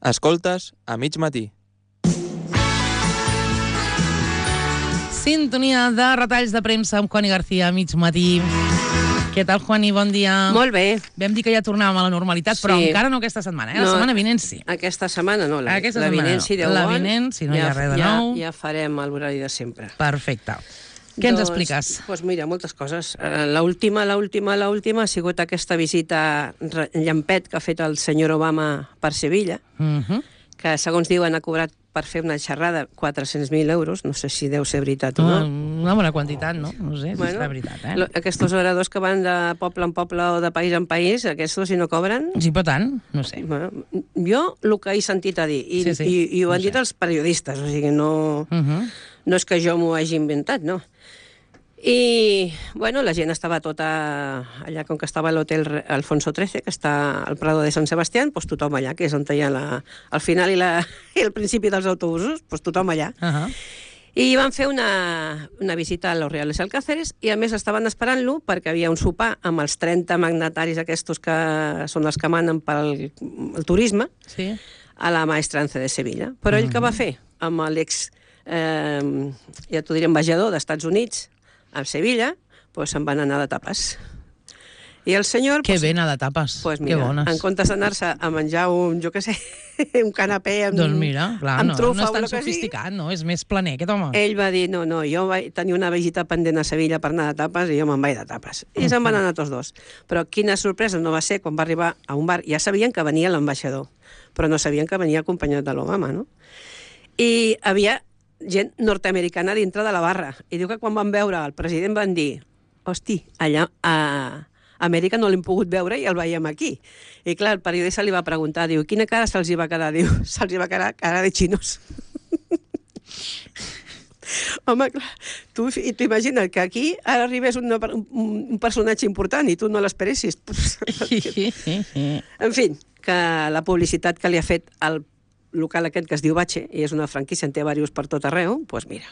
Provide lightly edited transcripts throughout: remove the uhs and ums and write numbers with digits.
Escoltes a mig matí. Sintonia de retalls de premsa amb Juani García a mig matí. Què tal, Juani? Bon dia. Molt bé. Vam dir que ja tornàvem a la normalitat, però encara no aquesta setmana, La setmana vinent sí. Aquesta setmana no. La vinent, si Déu vol. La vinent, si no hi ha res de nou. Ja farem l'horari de sempre. Perfecte. Què ens expliques? Doncs mira, moltes coses. L'última ha sigut aquesta visita llampet que ha fet el senyor Obama per Sevilla, que segons diuen ha cobrat per fer una xerrada 400.000 euros, no sé si deu ser veritat o no. Una bona quantitat, no? No sé si és veritat, Aquests oradors que van de poble en poble o de país en país, aquests si no cobren... Sí, però tant, no sé. Jo el que he sentit a dir, i ho han dit els periodistes, o sigui, no és que jo m'ho hagi inventat, no. I, bueno, la gent estava tota allà, com que estava a l'hotel Alfonso XIII, que està al Prado de Sant Sebastián, doncs tothom allà, que és on hi ha el final i el principi dels autobusos, doncs tothom allà. I van fer una visita a los Reales Alcáceres i, a més, estaven esperant-lo perquè havia un sopar amb els 30 magnataris aquests que són els que manen pel turisme a la Maestranza de Sevilla. Però ell què va fer? Amb l'ex, ja t'ho diré, ambaixador d'Estats Units a Sevilla, doncs se'n van anar de tapes. I el senyor... Que bé anar de tapes, que bones. En comptes d'anar-se a menjar un, jo què sé, un canapé amb trufa... Doncs mira, clar, no és tan sofisticat, no? És més planer, aquest home. Ell va dir, no, jo vaig tenir una visita pendent a Sevilla per anar de tapes i jo me'n vaig de tapes. I se'n van anar tots dos. Però quina sorpresa no va ser quan va arribar a un bar. Ja sabien que venia l'ambaixador, però no sabien que venia acompanyat de l'Obama, no? I havia gent nord-americana dintre de la barra. I diu que quan van veure el president van dir, hosti, allà a Amèrica no l'hem pogut veure i el veiem aquí. I clar, el periodista li va preguntar, diu, quina cara se'ls hi va quedar? Diu, se'ls hi va quedar cara de xinos. Home, clar, tu imagina't que aquí ara arribés un personatge important i tu no l'esperessis. En fi, que la publicitat que li ha fet el local aquest que es diu Bache, i és una franquícia, en té diversos per tot arreu, doncs mira,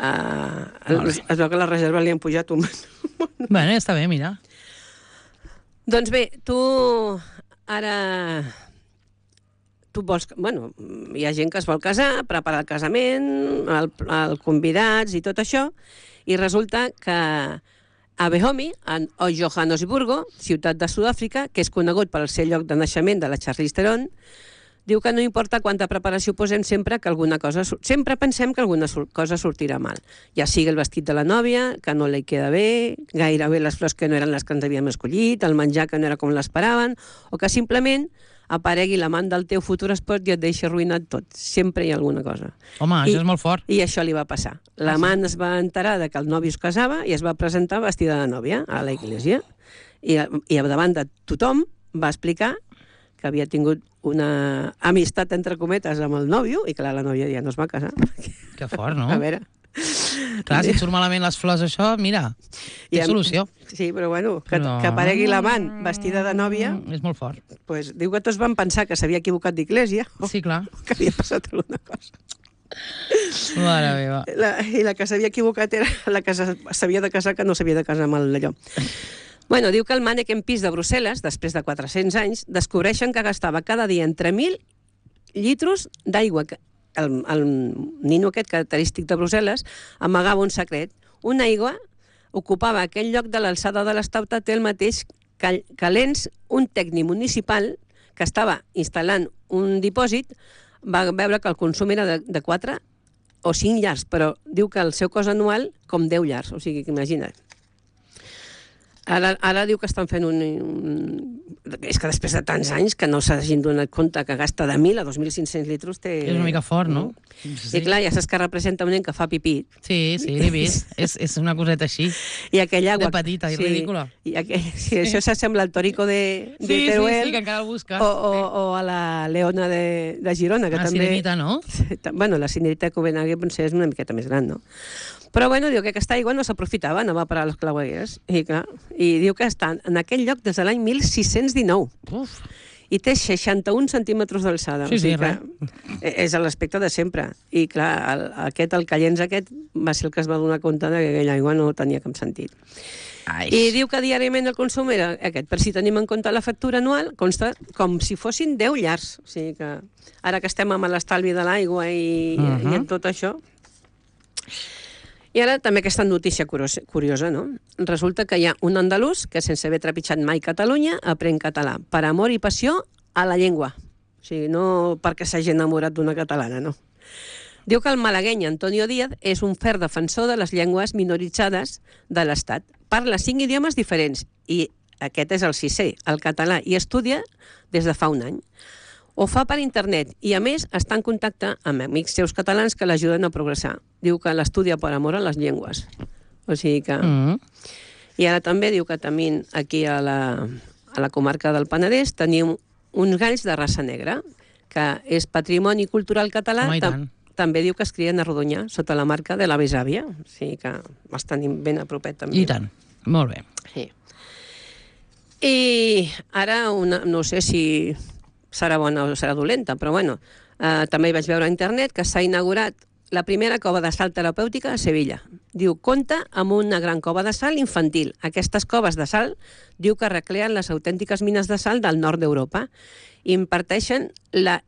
es veu que la reserva li han pujat un... Bueno, ja està bé, mira. Doncs bé, tu ara... Tu vols... Bueno, hi ha gent que es vol casar, preparar el casament, el convidats i tot això, i resulta que a Behomi, a Johannesburgo, ciutat de Sud-àfrica, que és conegut per ser lloc de naixement de la Charlize Theron, diu que no importa quanta preparació posem, sempre pensem que alguna cosa sortirà mal. Ja sigui el vestit de la nòvia, que no li queda bé, gairebé les flors que no eren les que ens havíem escollit, el menjar que no era com l'esperaven, o que simplement aparegui l'amant del teu futur espòs i et deixi arruïnat tot. Sempre hi ha alguna cosa. Home, això és molt fort. I això li va passar. L'amant es va enterar que el nòvio es casava i es va presentar vestida de nòvia a la iglesia. I davant de tothom va explicar que havia tingut una amistat, entre cometes, amb el nòvio, i clar, la nòvia ja no es va casar. Que fort, no? A veure... Clar, si et surt malament les flors, això, mira, té solució. Sí, però bueno, que aparegui l'amant vestida de nòvia... És molt fort. Doncs diu que tots van pensar que s'havia equivocat d'església. Sí, clar. Que havia passat alguna cosa. Mare meva. I la que s'havia equivocat era la que s'havia de casar, que no s'havia de casar amb allò. Bueno, diu que el Manneken Pis de Brussel·les, després de 400 anys, descobreixen que gastava cada dia entre 1.000 litros d'aigua. El nino aquest característic de Brussel·les amagava un secret. Una aigua ocupava aquell lloc de l'alçada de l'estauta, té el mateix que l'ENS, un tècnic municipal que estava instal·lant un dipòsit, va veure que el consum era de 4 o 5 llars, però diu que el seu cost anual com 10 llars, o sigui que imagina't. Ara diu que estan fent és que després de tants anys que no s'hagin donat compte que gasta de 1.000 a 2.500 litros té... És una mica fort, no? I clar, ja saps que representa un nen que fa pipí. Sí, l'he vist. És una coseta així. I aquella agua... De petita i ridícula. Sí, això s'assembla al Torico de Teruel. Sí, que encara el busca. O a la Leona de Girona, que també... La Sirenita, no? Bueno, la Sirenita de Copenhague potser és una miqueta més gran, no? Però bueno, diu que aquesta aigua no s'aprofitava, anava a parar a les clavegueres. I diu que està en aquell lloc des de l'any 1619. Uf. i té 61 centímetres d'alçada. Sí, res. És l'aspecte de sempre. I clar, el Callens va ser el que es va donar compte que aquella aigua no tenia cap sentit. I diu que diàriament el consum era aquest. Per si tenim en compte la factura anual, consta com si fossin 10 llars. O sigui que ara que estem amb l'estalvi de l'aigua i en tot això... I ara també aquesta notícia curiosa, no? Resulta que hi ha un andalús que, sense haver trepitjat mai Catalunya, aprèn català per amor i passió a la llengua. O sigui, no perquè s'hagi enamorat d'una catalana, no. Diu que el malagueny Antonio Díaz és un ferm defensor de les llengües minoritzades de l'Estat. Parla 5 idiomes diferents i aquest és el 6è, el català, i estudia des de fa un any. Ho fa per internet i, a més, està en contacte amb amics seus catalans que l'ajuden a progressar. Diu que l'estudia per amor a les llengües. O sigui que... I ara també diu que també aquí a la comarca del Penedès tenim uns galls de raça negra, que és patrimoni cultural català. També diu que es crien a Rodonyà, sota la marca de la besàvia. O sigui que els tenim ben a propet, també. I tant. Molt bé. Sí. I ara, no sé si serà bona o serà dolenta, però bueno, també hi vaig veure a internet que s'ha inaugurat la primera cova de sal terapèutica a Sevilla. Diu, compta amb una gran cova de sal infantil. Aquestes coves de sal diu que recreen les autèntiques mines de sal del nord d'Europa i imparteixen la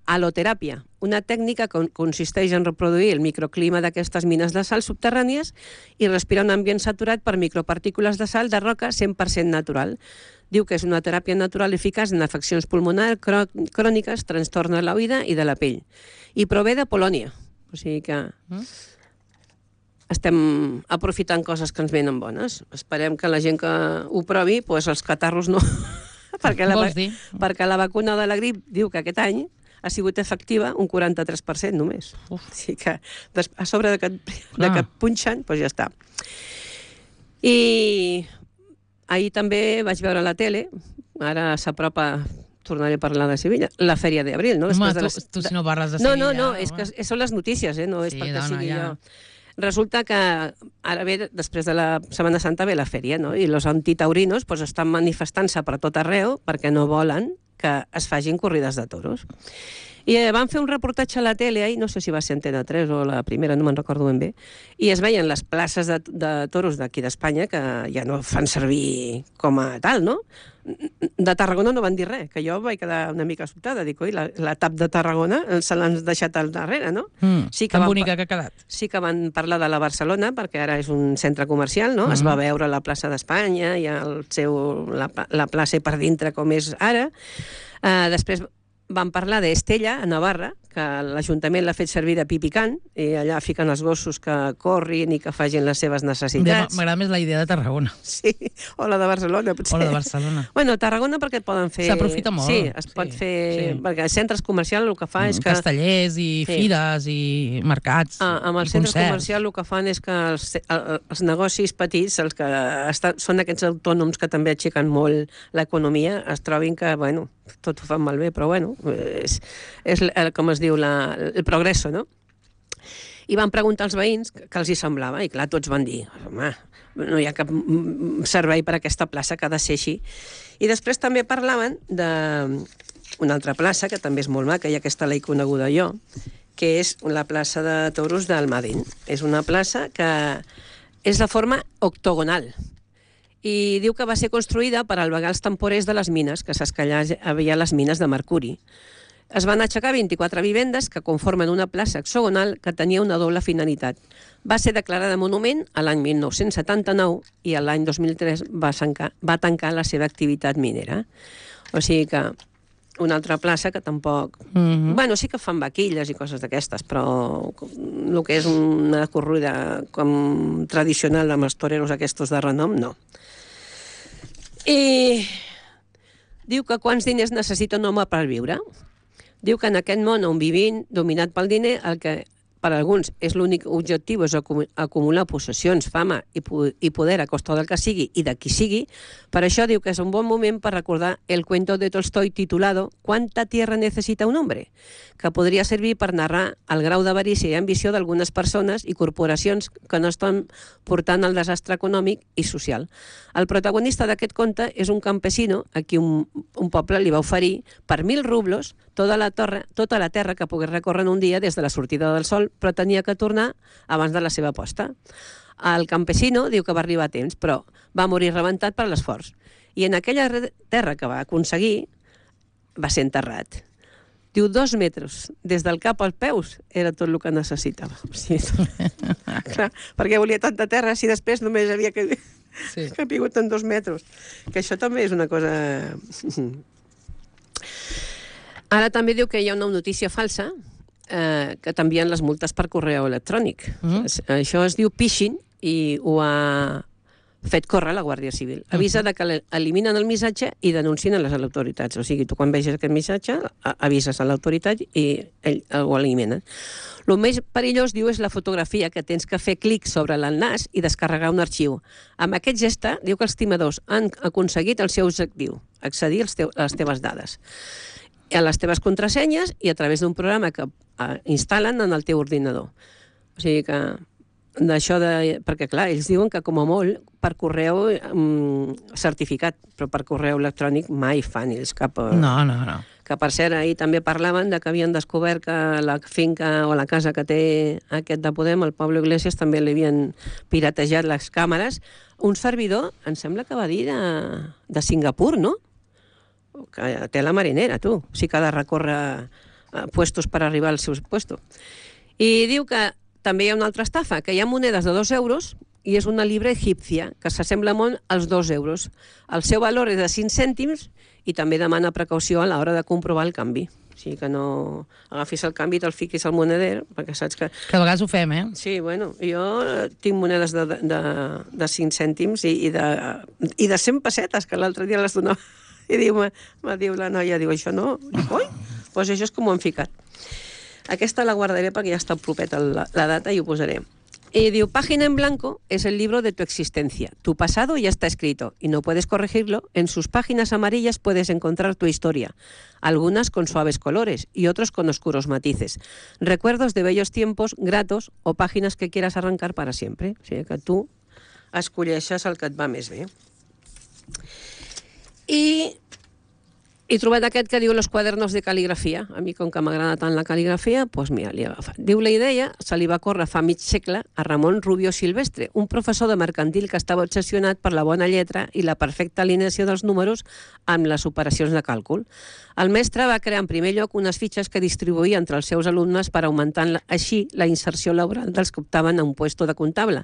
haloteràpia, una tècnica que consisteix en reproduir el microclima d'aquestes mines de sal subterrànies i respirar un ambient saturat per micropartícules de sal de roca 100% natural. Diu que és una teràpia natural eficaç en afeccions pulmonars cròniques, trastorns de l'oïda i de la pell. I prové de Polònia. O sigui que estem aprofitant coses que ens venen bones. Esperem que la gent que ho provi, doncs els catarros no... perquè la vacuna de la grip diu que aquest any ha sigut efectiva un 43% només. O sigui que a sobre de que punxen, doncs ja està. I ahir també vaig veure a la tele, ara s'apropa, tornaré a parlar de Sevilla, la Fèria d'Abril, no? Home, tu si no parles de Sevilla... No, és que són les notícies, no és perquè sigui jo. Resulta que ara ve, després de la Setmana Santa, ve la fèria, no? I els antitaurinos estan manifestant-se per tot arreu perquè no volen que es facin corrides de toros. I van fer un reportatge a la tele, no sé si va ser Antena 3 o la primera, no me'n recordo ben bé, i es veien les places de toros d'aquí d'Espanya, que ja no fan servir com a tal, no? De Tarragona no van dir res, que jo vaig quedar una mica sobtada. Dic, oi, la TAP de Tarragona se l'han deixat al darrere, no? Tan bonica que ha quedat. Sí que van parlar de la Barcelona, perquè ara és un centre comercial, no? Es va veure la plaça d'Espanya, i la plaça per dintre com és ara. Després van parlar d'Estella, a Navarra, que l'Ajuntament l'ha fet servir de pipicant, i allà fiquen els gossos que corrin i que facin les seves necessitats. M'agrada més la idea de Tarragona. Sí, o la de Barcelona, potser. O la de Barcelona. Bueno, Tarragona perquè poden fer... S'aprofita molt. Sí, es pot fer... Perquè els centres comercials el que fa és que... Castellers i fires i mercats i concerts. Amb els centres comercials el que fan és que els negocis petits, els que són aquests autònoms que també aixequen molt l'economia, es trobin que, bueno, tot ho fan malbé, però bueno, és com es diu, el progresso, no? I van preguntar als veïns què els hi semblava, i clar, tots van dir, home, no hi ha cap servei per a aquesta plaça que ha de ser així. I després també parlaven d'una altra plaça, que també és molt maca, i aquesta l'he coneguda jo, que és la plaça de toros d'Almadén. És una plaça que és de forma octogonal, i diu que va ser construïda per albergar els temporers de les mines, que saps que allà havia les mines de mercuri. Es van aixecar 24 vivendes que conformen una plaça hexagonal que tenia una doble finalitat. Va ser declarada monument a l'any 1979 i a l'any 2003 va tancar la seva activitat minera. O sigui que una altra plaça que tampoc... Bueno, sí que fan vaquilles i coses d'aquestes, però el que és una corrida com tradicional amb els toreros aquests de renom, no. I diu que quants diners necessita un home per viure? Diu que en aquest món on vivim, dominat pel diner, el que per a alguns és l'únic objectiu és acumular possessions, fama i poder a costa del que sigui i de qui sigui, per això diu que és un bon moment per recordar el cuento de Tolstoi titulado «Cuánta tierra necesita un hombre?», que podria servir per narrar el grau d'avarícia i ambició d'algunes persones i corporacions que no estan portant el desastre econòmic i social. El protagonista d'aquest conte és un campesino a qui un poble li va oferir per 1.000 rublos tota la terra que pogués recórrer en un dia des de la sortida del sol, però tenia que tornar abans de la seva posta. El campesino diu que va arribar a temps, però va morir rebentat per l'esforç. I en aquella terra que va aconseguir va ser enterrat. Diu 2 metres, des del cap als peus, era tot el que necessitava. Sí, clar, perquè volia tanta terra si després només havia capigut en 2 metres. Que això també és una cosa... Ara també diu que hi ha una notícia falsa que t'envien les multes per correu electrònic. Això es diu phishing i ho ha fet córrer la Guàrdia Civil. Avisa que eliminen el missatge i denuncien a les autoritats. O sigui, tu quan vegis aquest missatge avises a l'autoritat i ell ho eliminen. El més perillós, diu, és la fotografia, que tens que fer clic sobre l'enllaç i descarregar un arxiu. Amb aquest gest, diu que els timadors han aconseguit el seu objectiu, accedir a les teves dades, a les teves contrasenyes i a través d'un programa que instal·len en el teu ordinador. O sigui que d'això perquè, clar, ells diuen que com a molt per correu certificat, però per correu electrònic mai fan ells cap... No. Que, per cert, ahir també parlaven de que havien descobert que la finca o la casa que té aquest de Podem, el Pablo Iglesias, també li havien piratejat les càmeres. Un servidor, em sembla que va dir de Singapur, no? Que té la marinera, tu. O sigui que ha de recórrer puestos per arribar al seu puesto. I diu que també hi ha una altra estafa, que hi ha monedes de 2 euros i és una libra egípcia, que s'assembla molt als 2 euros. El seu valor és de 5 cèntims i també demana precaució a l'hora de comprovar el canvi. O sigui que no agafis el canvi i te'l fiquis al moneder, perquè saps que... Que a vegades ho fem, eh? Sí, bueno, jo tinc monedes de 5 cèntims i de 100 pessetes, que l'altre dia les donava. I me diu la noia, això no? Dic, oi? Doncs això és com ho han ficat. Aquesta la guardaré perquè ja està propeta la data i ho posaré. Y diu, Página en blanco es el libro de tu existencia. Tu pasado ya está escrito y no puedes corregirlo. En sus páginas amarillas puedes encontrar tu historia, algunas con suaves colores y otros con oscuros matices. Recuerdos de bellos tiempos, gratos o páginas que quieras arrancar para siempre. O sigui que tu escolleixes el que et va més bé. I he trobat aquest que diu Los cuadernos de caligrafia. A mi, com que m'agrada tant la caligrafia, doncs mira, l'he agafat. Diu, la idea se li va córrer fa mig segle a Ramon Rubio Silvestre, un professor de mercantil que estava obsessionat per la bona lletra i la perfecta alineació dels números amb les operacions de càlcul. El mestre va crear en primer lloc unes fitxes que distribuïa entre els seus alumnes per augmentar així la inserció laboral dels que optaven a un puesto de comptable.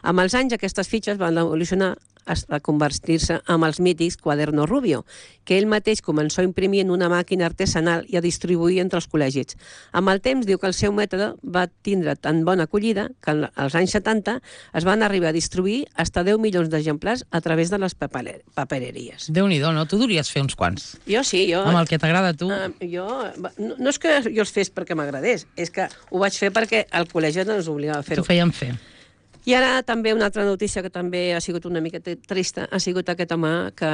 Amb els anys, aquestes fitxes van evolucionar a convertir-se en els mítics Cuaderno Rubio, que ell mateix començó a imprimir en una màquina artesanal i a distribuir entre els col·legis. Amb el temps, diu que el seu mètode va tindre tan bona acollida que als anys 70 es van arribar a distribuir fins a 10 milions d'exemplars a través de les papereries. Déu-n'hi-do, no? Tu devries fer uns quants. Jo sí, jo... Amb el que t'agrada a tu. No és que jo els fes perquè m'agradés, és que ho vaig fer perquè el col·legi ens obligava a fer-ho. T'ho feien fer. I ara també una altra notícia que també ha sigut una mica trista, ha sigut aquest home que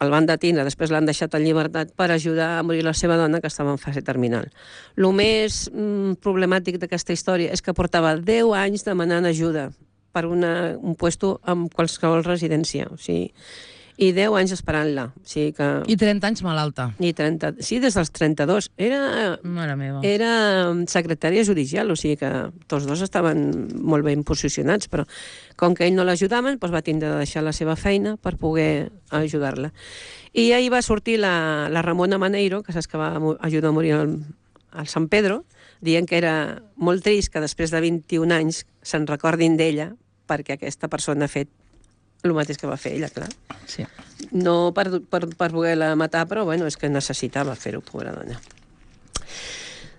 el van detenir, després l'han deixat en llibertat per ajudar a morir la seva dona, que estava en fase terminal. El més problemàtic d'aquesta història és que portava 10 anys demanant ajuda per un puesto en qualsevol residència, o sigui, i 10 anys esperant-la. O sigui que... I 30 anys malalta. Sí, des dels 32. Mare meva. Era secretària judicial, o sigui que tots dos estaven molt ben posicionats, però com que ell no l'ajudaven, doncs va tindre de deixar la seva feina per poder ajudar-la. I ahir va sortir la Ramona Maneiro, que saps que va ajudar a morir al Sant Pedro, dient que era molt trist que després de 21 anys se'n recordin d'ella perquè aquesta persona ha fet el mateix que va fer ella, clar. Sí. No per voler-la matar, però bueno, és que necessitava fer-ho, pobra dona.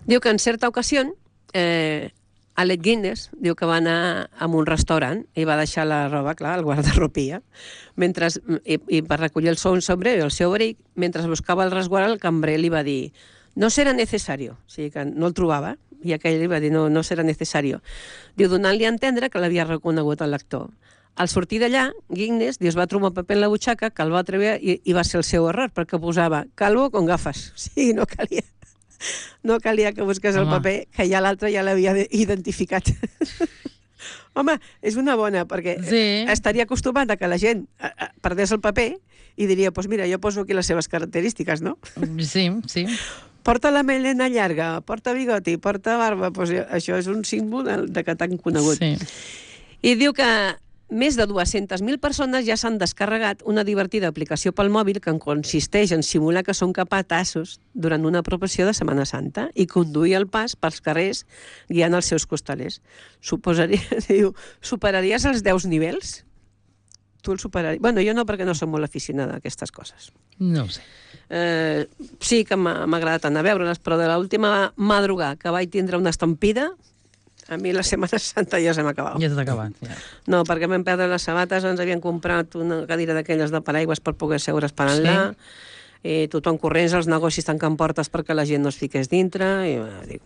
Diu que en certa ocasió Alec Guinness diu que va anar a un restaurant i va deixar la roba, clar, al guardarropia, i per recollir el seu sombrero i el seu abric, mentre buscava el resguard, el cambrer li va dir: no serà necessari. O sigui que no el trobava, i aquell li va dir no serà necessari. Diu, donant-li a entendre que l'havia reconegut el lector. Al sortir d'allà, Guinness es va trobar un paper en la butxaca que el va treure i va ser el seu error, perquè posava calvo con gafes. O sigui, no calia que busqués el paper, que ja l'altre ja l'havia identificat. Home, és una bona, perquè estaria acostumat a que la gent perdés el paper i diria, doncs mira, jo poso aquí les seves característiques, no? Sí, sí. Porta la melena llarga, porta bigoti, porta barba, doncs això és un símbol de que t'han conegut. Sí. I diu que més de 200.000 persones ja s'han descarregat una divertida aplicació pel mòbil que consisteix en simular que són capatassos durant una processió de Setmana Santa i conduir el pas pels carrers guiant els seus costalers. Superaries els 10 nivells? Tu el superaries? Bueno, jo no, perquè no soc molt aficionada a aquestes coses. No ho sé. Sí que m'ha agradat anar a veure-les, però de l'última madrugada que vaig tindre una estampida, a mi la Setmana Santa ja se m'ha acabat. Ja s'ha acabat, ja. No, perquè vam perdre les sabates, ens havien comprat una cadira d'aquelles de paraigües per poder seure esperant-la, tothom corrents, els negocis tancant portes perquè la gent no es fiqués dintre, i dic...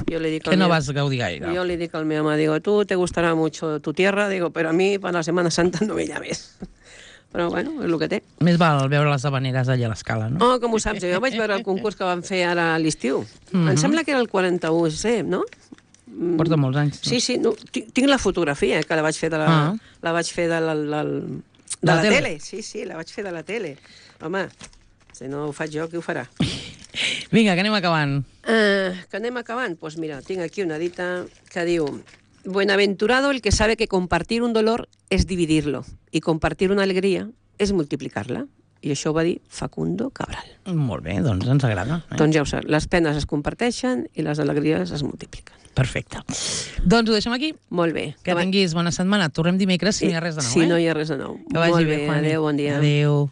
Que no vas gaudir gaire. Yo le digo al mi mamá, digo, tú te gustará mucho tu tierra, digo, pero a mí para la Semana Santa no me llames. Però, bueno, és el que té. Més val veure les habaneres allà a l'escala, no? Oh, com ho saps? Jo vaig veure el concurs que van fer ara a l'estiu. Em sembla que era el 41C, no? Porta molts anys. Sí, sí, no, tinc la fotografia, que la vaig fer de la tele. Sí, sí, la vaig fer de la tele. Home, si no ho faig jo, qui ho farà? Vinga, que anem acabant. Que anem acabant? Doncs mira, tinc aquí una dita que diu: Buenaventurado el que sabe que compartir un dolor es dividirlo y compartir una alegría es multiplicarla. I això ho va dir Facundo Cabral. Molt bé, doncs ens agrada. Doncs ja ho saps, les penes es comparteixen i les alegries es multipliquen. Perfecte. Doncs ho deixem aquí. Molt bé. Que tinguis bona setmana. Tornem dimecres si no hi ha res de nou. Si no hi ha res de nou. Que vagi bé, Adéu, bon dia. Adéu.